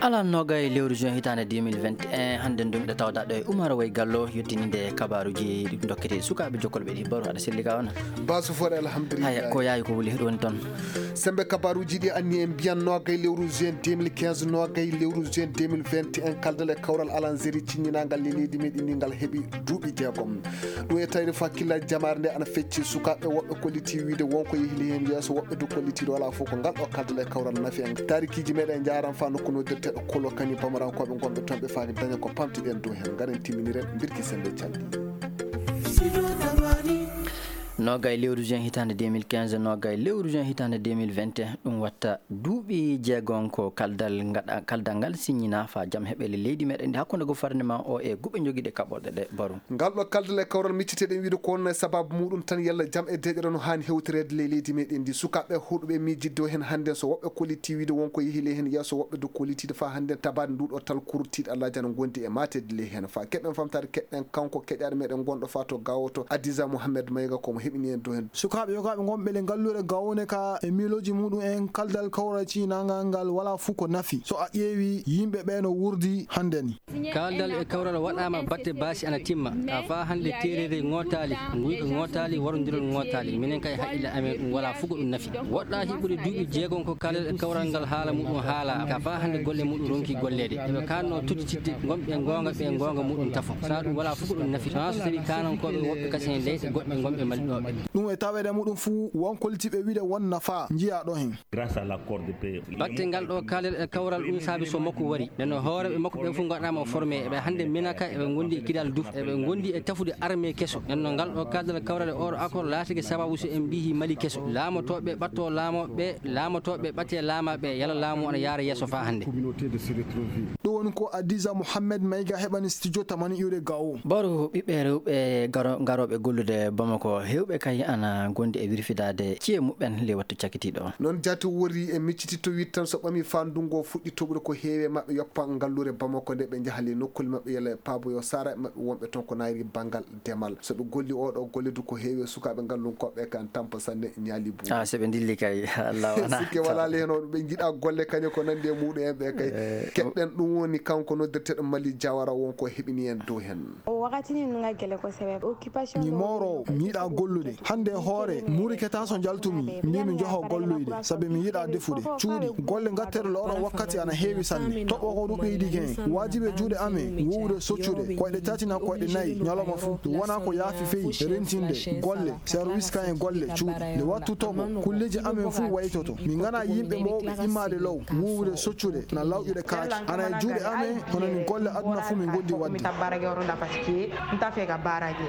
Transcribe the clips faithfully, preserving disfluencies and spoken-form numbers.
Alarba noogay lewru juin hitaande deux mille vingt et un, hannde ndun miɗo tawda ɗo e Umar Way Gallo, yottininde kabaaruuji ɗi ndokkete sukaaɓe jokkolɓe ɗi. Baro, aɗa selli ka on? Basu fore, alhamdulillah. Haya, ko yaawi ko wuli ɗon ton? Sembe kabaaruuji ɗi anni en mbiyan noogay lewru juin deux mille quinze, noogay lewru juin deux mille vingt et un, kaldal e kawral alanzeri ciññinangal e leydi meɗen ndi ngal heɓi duuɓi jeegom. Ɗum e tawde fakkillaaji jamaare nde ana fecci, sukaaɓe woɓɓe kolliti wiide won ko yehili heen yeeso, woɓɓe du kolliti ɗo alaa fof ko ngal ɗo kaldal e kawral nafi en. Taarikiiji meɗen njaaran faa nokku noddirteeɗo Kolo Kani Bamarankooɓe ngonɓe toon ɓe faa daña ko pamtiɗen dow heen. Ngaren timminiren mbirki sennde calɗi. Noogay lewru juin hitaande deux mille quinze, noogay lewru juin hitaande deux mille vingt et un, ɗum watta duuɓi jeegom ko kaldal ngaɗa-, kaldal ngal siññinaa faa jam heɓe le leydi meɗen ndi hakkunde gouvernement o e guɓe jogiiɗe kaɓorɗe ɗe, Baro. Ngal ɗo kaldal e kawral micciteɗen wiide ko wonno e sababu muɗum tan yalla jam e deeƴere no haani hewtoreede ley leydi meɗen ndi. Sukaaɓe huɗuɓe miijidde o heen hannde so woɓɓe kolliti wiide won ko yehi ley heen yeeso, woɓɓe du kollitiiɗo faa hannde tabaade ndu ɗo tal kurtiiɗo Allaaji ana ngondi e maateede ley heen. Faa keɓen famtaade keɗɗen kanko keɗaaɗo meɗen gonɗo faa to Gaawo to Adiza Mohamed Mayga ko mo heɓini en dow heen. Sukaaɓe yogaaɓe ngonɓe le ngalluure Gaawo ne ka e miilooji muɗum en kaldal kawral ciñinangal ngal walaa fuu ko nafi. So a ƴeewi yimɓe ɓe no wurdi hannde ni. Kaaldal e kawral waɗaama batte baasi ana timma. Ka faa hannde teereere ŋootaali, nguyka ŋootaali, warondirol ŋootaali. Minen kay haqqille amen ɗum walaa fuu ko ɗum nafi. Woɗɗaaki ɓuri duuɓi jeegom ko kaaldal e kawral ngal haala muɗum haalaa. Ka faa hannde golle muɗum ronki golleede. Eɓe kaannoo tottitidde gonɓe goonga ɓe goonga muɗum tafo. Saa ɗum walaa fuu ko ɗum nafi. Sonaa so tawii kaanankooɓe woɓɓe kasen leyɗe goɗɗe gonɓe maliɗooɓe. Ɗum e taweede muɗum fuu won kollitiiɓe wiide won nafaa njiyaa ɗo hen. Grâce à l'accord de paix. Batte ngal ɗo kaalel e kawral ɗum saabi so makko wari. Nden no hooreeɓe makko ɓen fof ngaɗaama formé. Eɓe hannde Minaka, eɓe ngondi e Kidal Duf, eɓe ngondi e tafude armée keso. Nden no ngal ɗo kaldal kawral e oɗo accord laatike sababu so en mbiyi Mali keso. Laamotooɓe ɓatto laamooɓe, laamotooɓe ɓatte laamaaɓe, yala laamu ana yaara yeeso faa hannde. Ɗum woni ko Adiza Mohamed Mayga heɓani studio tamani iwde Gao. Baro ɓiɓɓe rewɓe garo-, garooɓe gollude Bamako, heewɓe kay ana ngondi e wirfidaade ci'e muɓɓen ley wattu cakitiiɗo. Non jaati wori e miccititto wiide tan so ɓami faa ndungu o fuɗɗi toɓude ko heewi e maɓɓe yoppa ngalluure Bamako nde ɓe njaha ley nokkuule maɓɓe yalla e paaboyo saaraaɓe maɓɓe wonɓe toon ko naayri banngal demal. So ɓe golli oo ɗoo golle du ko heewi e sukaaɓe ngallunkooɓe kan tampa sanne ñaali buuɗi. Ah, so ɓe ndilli kay, Allah wona. Sikke walaa le heen on ɓe njiɗaa golle kañe ko nanndi e muɗum en ɓe kay. Eh, keɗɗen ɗum woni kanko noddirteeɗo Mali Jawara won ko heɓini en dow heen. O wakati ni nunga gele ko sebe. Mi mooroowo, mi yiɗaa gollude. Hannde e hoore, muuriketaa so njaltumi, mbii mi njoho golloyde, sabi mi yiɗaa defude. Cuuɗi, golle ngatteeɗe le oɗo wakkati ana heewi sanne. Toɓo ko ɗum ɓeydike en. Waajibi e juuɗe amen, wuuwude soccude, koyɗe tati naa koyɗe nayi, ñalawma fuu. Ɗum wonaa ko yaafi feyi, rentinde, golle, service kan e golle, cuuɗi. Nde wattu toɓo, kulleeji amen fuu waytoto. Min nganaa yimɓe moowɓe immaade law, wuuwude soccude, na lawƴude kaaki. Ana e juuɗe amen, hono ni golle aduna fuu min ngondi waɗde.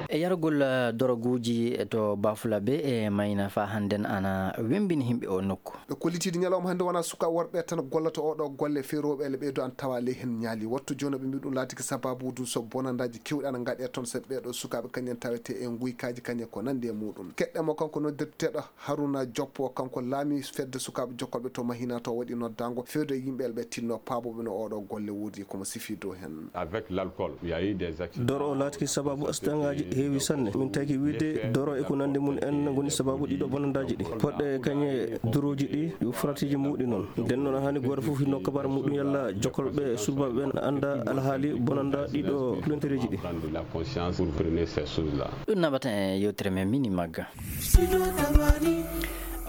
E yargol, eh, doroguuji to Bafulabe e Mayina faa hannden ana wemmbini yimɓe oo nokku. Ɓe kollitiiɗo ñalawma hannde wonaa sukaaɓe worɓe tan gollata oo ɗoo golle, fee rewɓe e ɓee duu ana tawaa ley heen ñaali. Wattu jooni ɓe mbii ɗum laatike sabaabuudu so bonandaaji keewɗi ana ngaɗee toon, sabi ɓee ɗoo sukaaɓe kañen tawetee e nguykaaji kañen ko nanndi e muuɗum. Keɗɗen mo kanko noddirteeɗo Haruna Joppo, kanko laamii fedde sukaaɓe jokkolɓe to Mahina to waɗi noddaango fewde e yimɓe ɓe tinnoo paabooɓe no oo ɗoo golle wuurdi ko mo sifii dow heen. Avec l'alcool, il y a eu des accidents. Doro o laatike sabaabu asidangaaji heewi sanne. Min taki wiide doro e ko nanndi mum en ngoni sabaabu ɗii ɗoo bonandaaji ɗi. Poɗɗe kañe dorooji ɗi, yo faratiiji muuɗi noon. Nden noon haani gooto fof hinno kabaara muuɗum yalla jokkolɓe surbaaɓe ɓen annda alhaali bonanda ɗii ɗoo kulantereeji ɗi. Prendre la conscience pour freiner ces choses-là. Ɗum naɓata e yewtere men Mini Magga.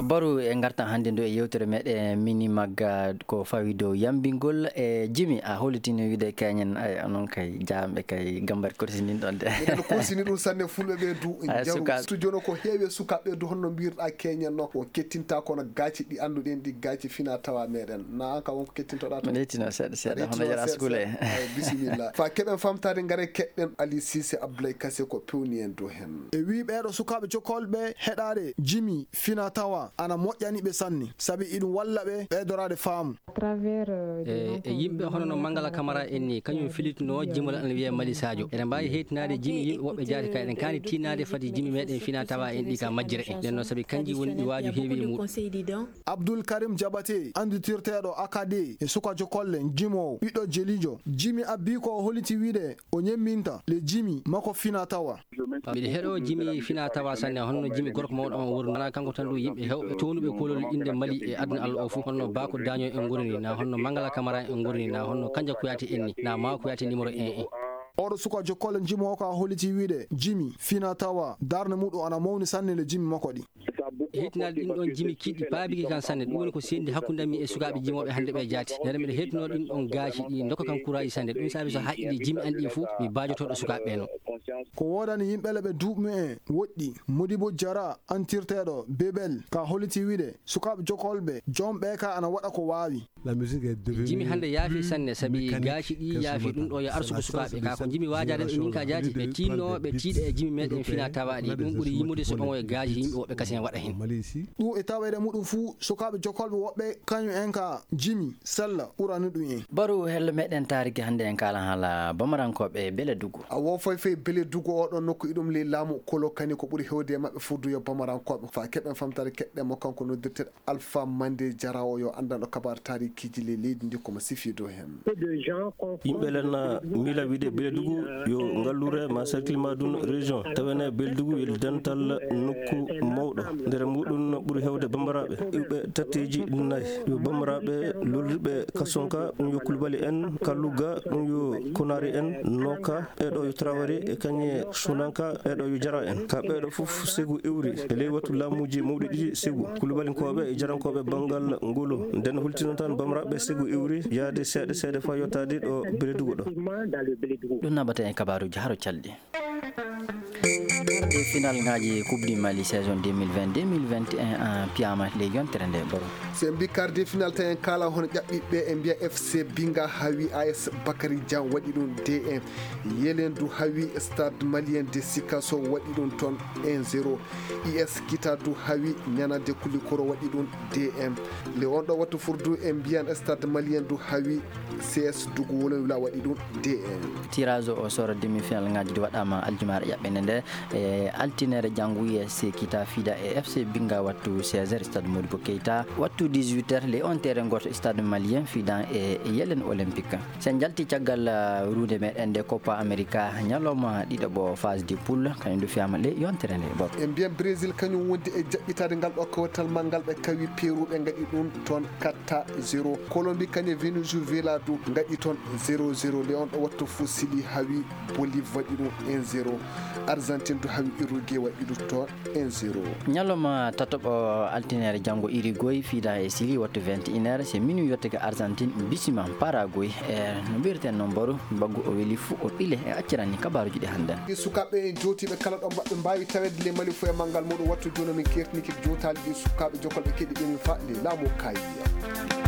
Baru e ngartan hannde ndu e yewtere meɗen Mini Magga ko fawi dow yambingol e jimi. A hollitini wiide keñen, ay, onon kay jaamɓe kay gambari korsinin ɗon de. Eɗen korsini ɗum sanne fulɓe ɓe du. Ay, jaru suka- studio no ko heewi e sukaaɓe du honno mbirɗa keñen no. On kettinta kono gaaci ɗi annduɗen ɗi gaaci fina tawa meɗen. Na an ka won ko kettintoɗa to? Mi lettino seeɗa seeɗa, hono yara sukule. Ay, bisimilla. Fa keɓen famtade ngare keɗɗen Ali Sise Abdoulaye Kase ko pewni en dow hen. E wii ɓeeɗo sukaaɓe jokkolɓe heɗaade jimi fina tawa ana moƴƴani ɓe sanne, sabi iɗum walla ɓe ɓeydoraade faamu. E, e yimɓe hono no Mangala Kamara en ni, kañum filitunoo jimol ana wiyee Mali Sadio. Eɗen mbaawi heytinaade jimi yimɓe woɓɓe jaati ka eɗen kaani tiinnaade fati jimi meɗen fina tawa en ɗi ka majjira en. Nden noon sabi kanji woni ɗi waaju heewi e muɗum. Abdul Karim Jabate, annditirteeɗo Akade e suka jokolle jimoowo, ɓiɗɗo Jelijo. Jimi Abbi ko o holliti wiide o ñemminta le jimi makko fina tawa. Miɗo heɗoo jimi fina tawa sanne, hono no jimi gorko mawɗo on woni. Alaa kanko tan ɗum yimɓe Ɓe townuɓe koolol innde Mali e aduna Alla oo fuu, honno Baako Daaño en ngoni nii, naa honno Mangala Kamara en ngoni nii, naa honno Kanja Kuyaate en nii, naa Maawo Kuyaate nimero en en. Ooɗo suka jokkolle jimi oo kaa hollitii wiide, jimi, fina tawa, darnde muɗum ana mawni sanne le jimi makko ɗi. Heɗtinaade ɗin ɗon jimi kiɗɗi paabike kan sanne. Ɗum woni ko seenndi hakkunde am e sukaaɓe jimooɓe hannde ɓee jaati. Nde miɗo heɗtinoo ɗin ɗon gaasi ɗi ndokka kan kuraaji sanne. Ɗum saabi so haqqille jimi an ɗi fuu, mi baajotooɗo sukaaɓe ɓee non. Ko woodani yimɓe le ɓe duuɓi mu'en woɗɗi. Modibo Jara, antirteeɗo Bebel, ka hollitii wiide, sukaaɓe jokolɓe, joom ɓee ka ana waɗa ko waawi. Jimi hannde yaafi sanne, sabi gaasi ɗi yaafi. Ɗum ɗoo yo arsugo sukaaɓe. Kaa ko njimi waajaade ɓe min ka jaati, ɓe tiinnoo, ɓe tiiɗa e jimi meɗen fina tawaaɗi. Ɗum ɓuri yimmude so ɓooyoo gaasi yimɓe woɓɓe kasen waɗa hen. Ɗum e taweede muɗum fuu, sukaaɓe jokolɓe woɓɓe, kañum en ka jimi, sella, ɓurani ɗum en. Baru hello meɗen taariki hannde en kaala haala Bamarankooɓe Beledugu. A wo fay fay Beledugu oo ɗoo nokku iɗum ley laamu Kolo Kani ko ɓuri heewde e maɓɓe fuu du yo Bamarankooɓe. Faa keɓen famtaare keɗɗen mo kanko noddirteeɗo Alpha Mande Jarawo yo anndanɗo kabaar taarikiiji ley leydi ndi ko mo sifiido heen. Yimɓe len miila wiide Beledugu yo ngalluure maa cercle maa dun région. Tawene Beledugu yo dental nokku mawɗo. Nder muɗum ɓuri heewde bambaraaɓe iwɓe tatteeji nay. Yo bambaraaɓe lolliɓe Kasonka, ɗum yo Kulbali en, Kalluga, ɗum yo Konari en, Nooka, ɓee ɗoo yo Tarawari, e kañe Sunanka, ɓee ɗoo yo Jara en. Ka ɓee ɗoo fof segu iwri e ley wattu laamuuji mawɗi ɗiɗi segu. Kulbalinkooɓe e Jarankooɓe banngal ngolu. Nden hultino tan bamraaɓe segu iwri yaade seeɗa seeɗa faa yottaade ɗo Beledugu ɗo. Ɗum naɓata en kabaaruuji haro calɗi. Quart de finalŋaaji Coupe du Mali saison deux mille vingt, deux mille vingt et un, ah, piyaama ley yontere nde, Baro. So en mbii quart de final, tawi en kaalaa hono ƴaɓɓiiɓe ɓe, en mbiya F C Binga haawi A S Bakary Dieng, waɗi ɗum deux un. Yelendu haawi Stade Malien de Sikasso, waɗi ɗum toon un zéro. U S Kita du haawi Nianade Koulikoro, waɗi ɗum deux un. Le on ɗo wattu furdu, en mbiyan Stade Malien du haawi C S Dugu Wolowila, waɗi ɗum deux un. Tirage au sort demi-finale ŋaaji ɗi waɗaama aljumaare ƴaɓɓende nde, e altine janngo, U S Kita fiida e F C Binga wattu seize heures, Stade Modibo Keita, wattu dix-huit heures, le on terrain gooto, Stade Malien fiida e Yelen Olympique. So en njalti caggal, uh, ruunde meɗen nde Copa America, ñalawma ɗiɗaɓo phase de poule, kañum du fiyaama ley yontere nde, Baro. En mbiyan Brésil kañum wondi e jaɓɓitaade ngal ɗo kawtal manngal, ɓe kawi Pérou, ɓe ngaɗi ɗum toon quatre à zéro. Colombie kañum e Venezuela du ngaɗi toon zéro zéro. Le on ɗo wattu fof Chili haawi Bolivie, waɗi ɗum un zéro. Argentine du haawi Uruguay, waɗi ɗum toon un zéro. Ñalawma tataɓo, altine janngo, Uruguay fiida e Chili wattu vingt et une heures, c'est minuit yottake Argentine bisima Paraguay. E no mbiyeten noon, Baro, mbaggu o weli fuu o ɓile. E accirani kabaaruuji ɗi hannden. Ɗi sukaaɓe en jootiiɓe kala ɗo mbaɗɓe mbaawi taweede le Mali fof e manngal muɗum. Wattu jooni min keertinii kadi jootaali ɗi sukaaɓe jokolɓe keɗi ɓe min faa le laamu Kaayiya.